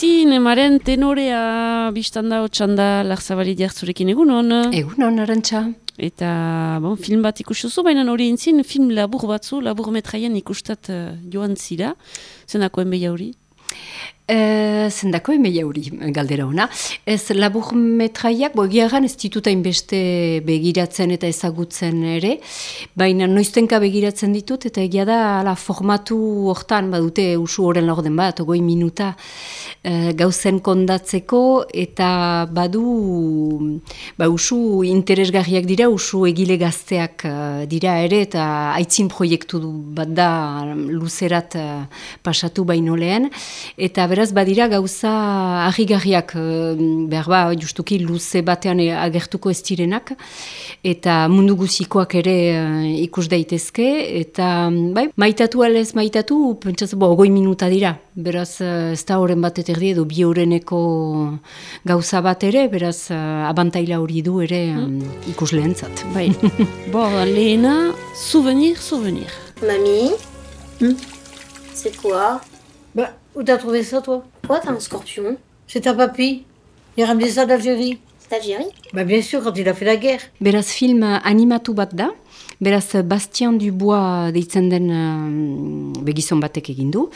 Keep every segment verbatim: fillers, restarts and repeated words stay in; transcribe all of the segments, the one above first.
Zinemaren tenorea biztanda hotxanda Larzabali Diartzurekin egunon. Egunon, Arantxa. Eta bon, film bat ikustuzu, baina hori entzin film labur batzu, labur metraien ikustat uh, joan zira. Zenako enbeia hori? E, zendako emeia hori galdera ona. Ez labur metraiak, bo egiagan ez dituta inbeste begiratzen eta ezagutzen ere, baina noiztenka begiratzen ditut, eta egia da ala, formatu hortan, badute usu horren laurden bat, ogoi minuta e, gauzen kondatzeko, eta badu ba, usu interesgarriak dira, usu egile gazteak uh, dira ere, eta aitzin proiektu bat da luzerat uh, pasatu baino lehen, eta beraz badira gauza harrigarriak, behar ba, justuki luze batean agertuko ez direnak, eta mundu guzikoak ere uh, ikus daitezke, eta bai, maitatu alez maitatu, pentsatzen, bo, ogoi minuta dira, beraz uh, ez da horren bat eterdi edo bi horreneko gauza bat ere, beraz uh, abantaila hori du ere um, ikus lehentzat. Bai, bo, lehena, souvenir, souvenir. Mamie, Hmm? c'est quoi? Bah, où t'as trouvé ça, toi? Quoi, t'as un scorpion? C'est ta papy. Il a ramené ça d'Algérie. C'est Algérie? Bah, bien sûr, quand il a fait la guerre. Beraz film animatu bat da, beraz Bastien Dubois deitzen den uh, begizon batek egin du,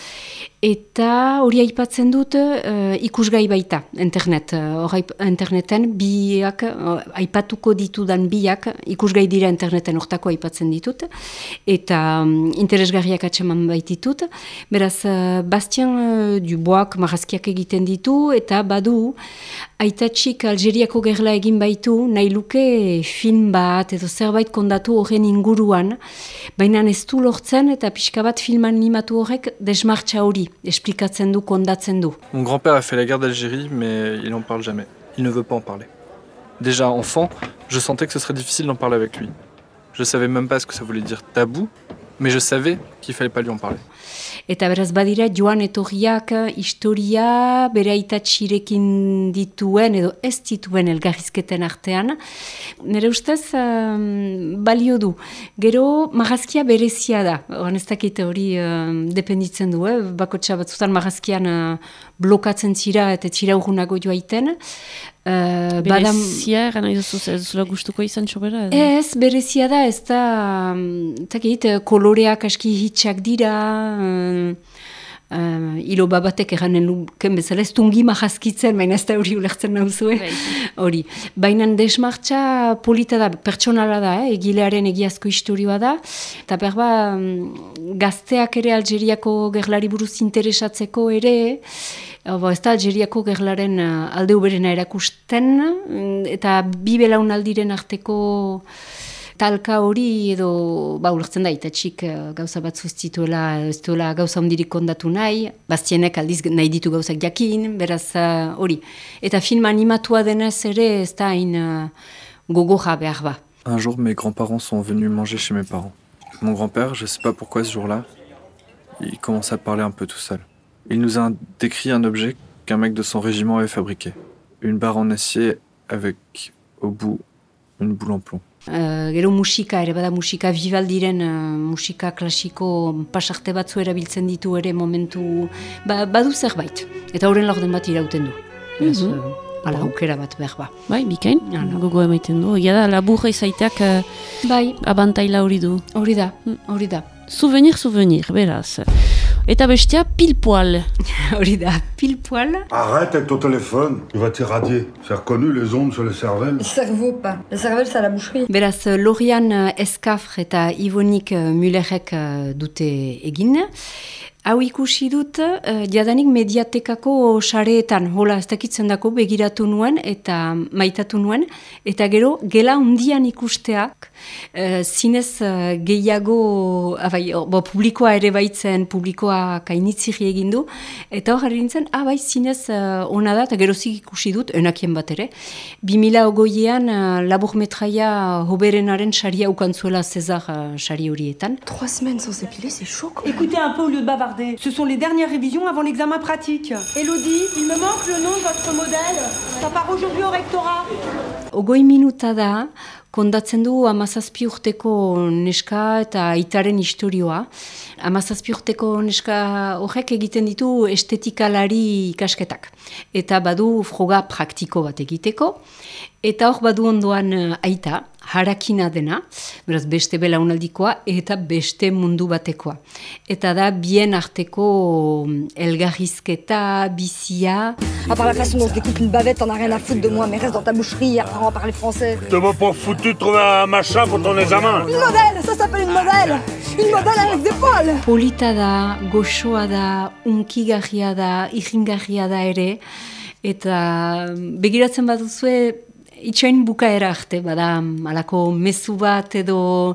eta hori aipatzen dut uh, ikusgai baita, internet. Hor uh, interneten biak, uh, aipatuko ditudan biak, ikusgai dira interneten hortako aipatzen ditut, eta um, interesgarriak atseman baititut. Beraz, uh, Bastien uh, Dubois marrazkiak egiten ditu, eta badu, aitatxik Algeriako gerla egin baitu, nahi luke film bat, edo zerbait kondatu horren inguruan, baina ez du lortzen, eta pixka bat film animatu horrek desmartxa hori. Explicatzen du, kondatzen du. Mon grand-père a fait la guerre d'Algérie, mais il n'en parle jamais. Il ne veut pas en parler. Déjà enfant, je sentais que ce serait difficile d'en parler avec lui. Je savais même pas ce que ça voulait dire tabou, mais je savais qu'il fallait pas lui en parler. Eta beraz badira joan etorriak historia bere aitatxirekin dituen edo ez dituen elgarrizketen artean. Nire ustez um, balio du. Gero marrazkia berezia da. Oan ez dakit hori um, dependitzen du. Eh? Bakotxa batzutan marrazkian uh, blokatzen zira eta txira urgunago joaiten. Uh, berezia, gana iduzu, ez zula gustuko izan txobera? Ez, berezia da, ez da, takit, koloreak aski hitxak dira, uh, uh, ilo babatek eranen luken bezala, ez tungi marazkitzen, baina ez da hori ulertzen nauzue, hori. Baina desmartxa polita da, pertsonala da, eh? Egilearen egiazko historioa da, eta berba gazteak ere Algeriako gerlari buruz interesatzeko ere, Bo, ez da Algeriako gerlaren uh, alde uberena erakusten, eta bi belaunaldiren arteko talka hori edo ba, ulertzen da, itatxik uh, gauza batzu ez dituela, ez duela gauza ondirik kondatu nahi, Bastienek aldiz nahi ditu gauzak jakin, beraz hori. Uh, eta film animatua denez ere ez da hain uh, gogoja behar ba. Un jour, mes grands-parents sont venus manger chez mes parents. Mon grand-père, je sais pas pourquoi ce jour-là, il commence à parler un peu tout seul. Il nous a décrit un objet qu'un mec de son régiment avait fabriqué. Une barre en acier avec, au bout, une boule en plomb. Uh, gero musika, ere bada musika Vivaldiren uh, musika klasiko pasarte batzu erabiltzen ditu ere momentu, ba, badu zerbait. Eta horren laurden bat irauten du. Beraz, mm -hmm. uh, ala aukera bat behar ba. Bai, bikain, gogo emaiten du. Egia da, laburra izaiteak uh, bai. Abantaila hori du. Hori da, hori da. Souvenir, souvenir, beraz. Eta bestia, pile poil. Hori da, pile poil. Arrête avec ton téléphone, il va t'irradier. C'est reconnu les ondes sur le cervelle. Le cerveau, pas. Le cervelle, c'est à la boucherie. Beraz, Lorian Eskafr eta Ivonik Müllerrek dute egin. Hau ikusi dut, uh, jadanik mediatekako sareetan, hola, ez dakitzen dako, begiratu nuen eta maitatu nuen, eta gero, gela hundian ikusteak, uh, zinez uh, gehiago, abai, bo, publikoa ere baitzen, publikoa kainitziri egindu, eta hor harri nintzen, ah, bai, zinez uh, ona da, eta gerozik ikusi dut, enakien bat ere, bi mila ogoiean uh, labur metraia hoberenaren saria ukantzuela César uh, sari horietan. Trois semaines sans s'épiler, c'est chaud. Écoutez un peu au lieu de bavarder. Ce sont les dernières révisions avant l'examen pratique. Elodie, il me manque le nom de votre modèle. Ça part aujourd'hui au rectorat. Ogoi minuta da, kondatzen du hamazazpi urteko neska eta aitaren istorioa. Hamazazpi urteko neska horrek egiten ditu estetikalari ikasketak. Eta badu froga praktiko bat egiteko. Eta hor badu ondoan aita, harakina dena, beraz beste belaunaldikoa eta beste mundu batekoa. Eta da bien arteko elgarrizketa, bizia. À part la façon dont je découpe une bavette, t'en as rien à foutre de moi, mais reste dans ta boucherie, apprends à parler français. T'es pas foutu de trouver un machin pour ton examen. Une modèle, ça s'appelle une modèle. Une modèle avec des poils. Polita da, goxoa da, unkigarria da, irringarria da ere, eta begiratzen baduzue, itxain bukaera arte, bada, alako mezu bat edo,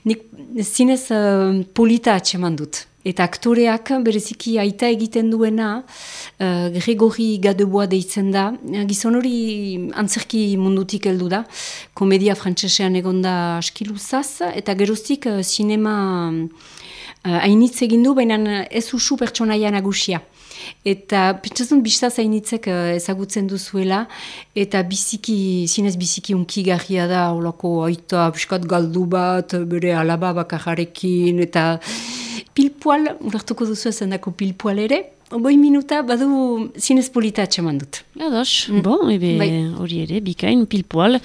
nik zinez uh, polita atxeman dut. Eta aktoreak bereziki aita egiten duena, uh, Gregori Gadeboa deitzen da, gizon hori antzerki mundutik heldu da, komedia frantsesean egonda askiluzaz, eta geroztik uh, sinema uh, hainitz egin du, baina ez usu pertsonaia nagusia. Eta pentsatzen biztaz hainitzek uh, ezagutzen duzuela, eta biziki, zinez biziki unkigarria da, olako aita, piskat galdu bat, bere alaba bakarrarekin, eta pilpoal, ulertuko duzu ezen dako pilpoal ere, boi minuta badu zinez polita atxeman dut. Ados, mm. bon, ebe hori ere, bikain, pilpoal,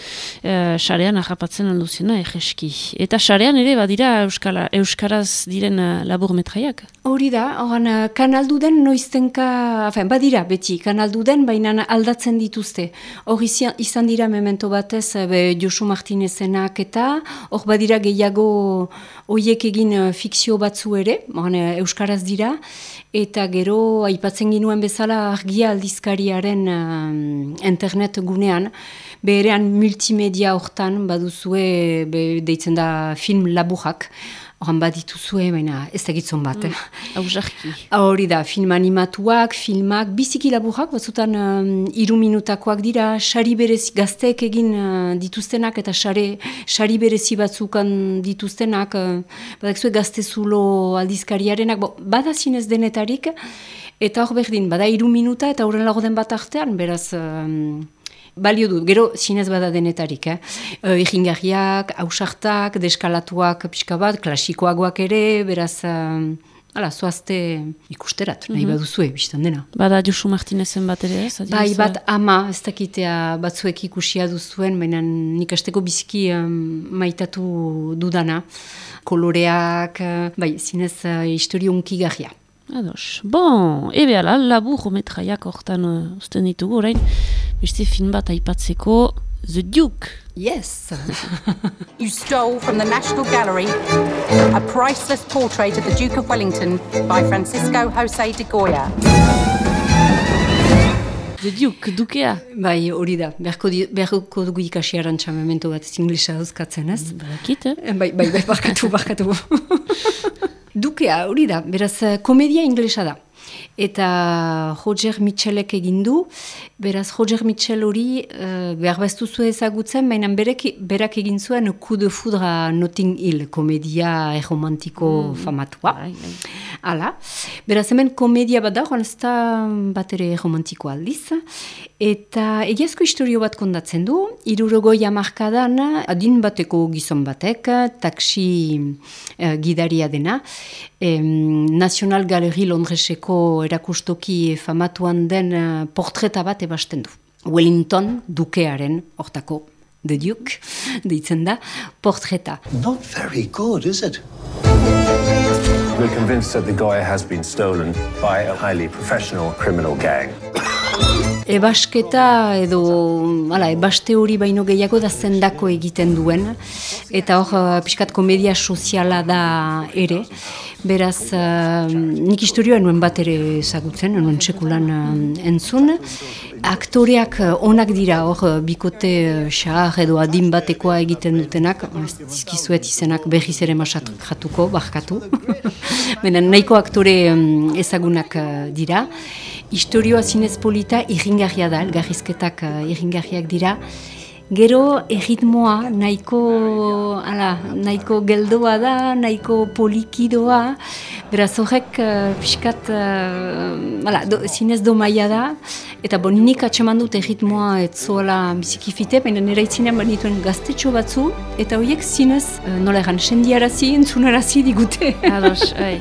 sarean uh, ahapatzen handuzena egeski. Eta sarean ere, badira euskala, euskaraz diren uh, labur metraiak? Hori da, horan, uh, kanaldu den noiztenka, afen, badira, beti, kanaldu den, baina aldatzen dituzte. Hor izan dira memento batez, be, Josu Martinezenak eta, hor badira gehiago hoiek egin uh, fikzio batzu ere, horan, uh, euskaraz dira, eta gero aipatzen ginuen bezala argia aldizkariaren uh, internet gunean, berean multimedia hortan baduzue, be, deitzen da film laburrak, horan badituzue, baina ez da gitzon bat. Hausarki. Mm. Hori da, film animatuak, filmak, biziki laburrak, batzutan um, iru minutakoak dira, sari berezi, gazteek egin uh, dituztenak, eta sare, sari berezi batzukan dituztenak, uh, badakzue gaztezulo aldizkariarenak, bo, bada zinez denetarik, eta hor berdin, bada iru minuta, eta horren lagoden bat artean, beraz... Um, balio du, gero zinez bada denetarik, eh? E, Iringarriak, hausartak, deskalatuak pixka bat, klasikoagoak ere, beraz, uh, ala, zoazte ikusterat, nahi mm-hmm. baduzue, biztan dena. Bada Josu Martinezen bat ere, ez? Bai, bat ama, ez dakitea batzuek ikusia duzuen, baina nik asteko biziki um, maitatu dudana, koloreak, uh, bai, zinez uh, historio unkigarria. Ados. Bon, ebe ala, labur metraiak hortan uh, usten ditugu, orain, beste film bat aipatzeko, The Duke. Yes. You stole from the National Gallery a priceless portrait of the Duke of Wellington by Francisco José de Goya. The Duke, dukea. Bai, hori da, beharko, di, beharko dugu ikasi arantxa memento bat ez inglesa dauzkatzen, ez? Barakit, eh? Bai, bai, bai, barkatu, barkatu. Dukea, hori da, beraz, komedia inglesa da. Eta Roger Mitchellek egin du, beraz Roger Mitchell hori uh, behar baztuzu ezagutzen, baina berek, berak egin zuen Coup de Foudre à Notting Hill, komedia erromantiko mm. famatua. Hala, beraz hemen komedia bat da, ez da bat ere erromantiko aldiz, eta egiazko historio bat kondatzen du, hirurogoi hamarkadan adin bateko gizon batek, taksi uh, gidaria dena, em, National Gallery Londreseko erakustoki famatuan den uh, portreta bat ebasten du. Wellington dukearen, hortako, The Duke, deitzen da, portreta. Not very good, is it? We're convinced that the guy has been stolen by a highly professional criminal gang. Ebasketa edo, ala, ebaste hori baino gehiago da zendako egiten duen, eta hor pixkat komedia soziala da ere, beraz uh, nik historioa nuen bat ere ezagutzen, nuen sekulan uh, entzun, aktoreak onak dira hor bikote xahar edo adin batekoa egiten dutenak, zizkizuet izenak berriz ere masatuko, barkatu, benen nahiko aktore um, ezagunak uh, dira. Historioa zinez polita irringarria da, elgarrizketak uh, irringarriak dira. Gero erritmoa nahiko, ala, nahiko geldoa da, nahiko polikidoa, beraz horrek uh, pixkat, uh, ala, do, zinez domaia da, eta bon, nik atseman dut erritmoa etzola bizikifite, baina nire itzinean banituen gaztetxo batzu, eta horiek zinez, uh, nola egan, sendiarazi, entzunarazi digute. Ados, ai.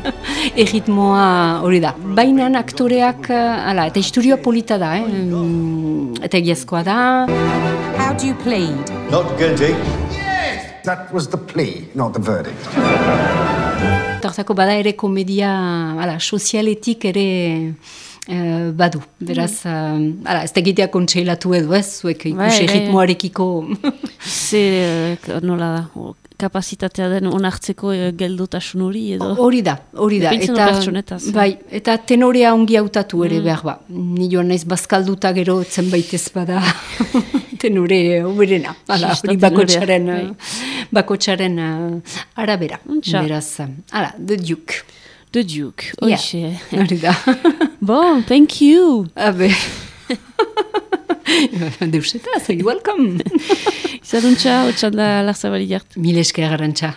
Erritmoa hori da. Baina aktoreak, uh, ala, eta historioa polita da, eh? Mm, eta egiazkoa da. How do you plead? Not guilty. Yes! That was the plea, not the verdict. Tartako bada ere komedia, ala, sozialetik ere uh, badu. Beraz, uh, ala, ez da egitea kontseilatu edo ez, zuek ikusi ritmoarekiko. Ze, uh, nola da, kapazitatea den onartzeko uh, geldotasun hori edo? Hori da, hori da. Eta, bai, eta tenorea ongi hautatu ere mm. behar ba. Ni joan naiz bazkalduta gero zenbait ez bada tenore oberena. Hala, hori bakotxaren, bakotxaren uh, arabera. Beraz, hala, The Duke. The Duke, oixe. Hori da. Bon, thank you. Habe. Deusetaz, welcome. Izaduntza, otxanda Larzabali jart. Mil esker garantza.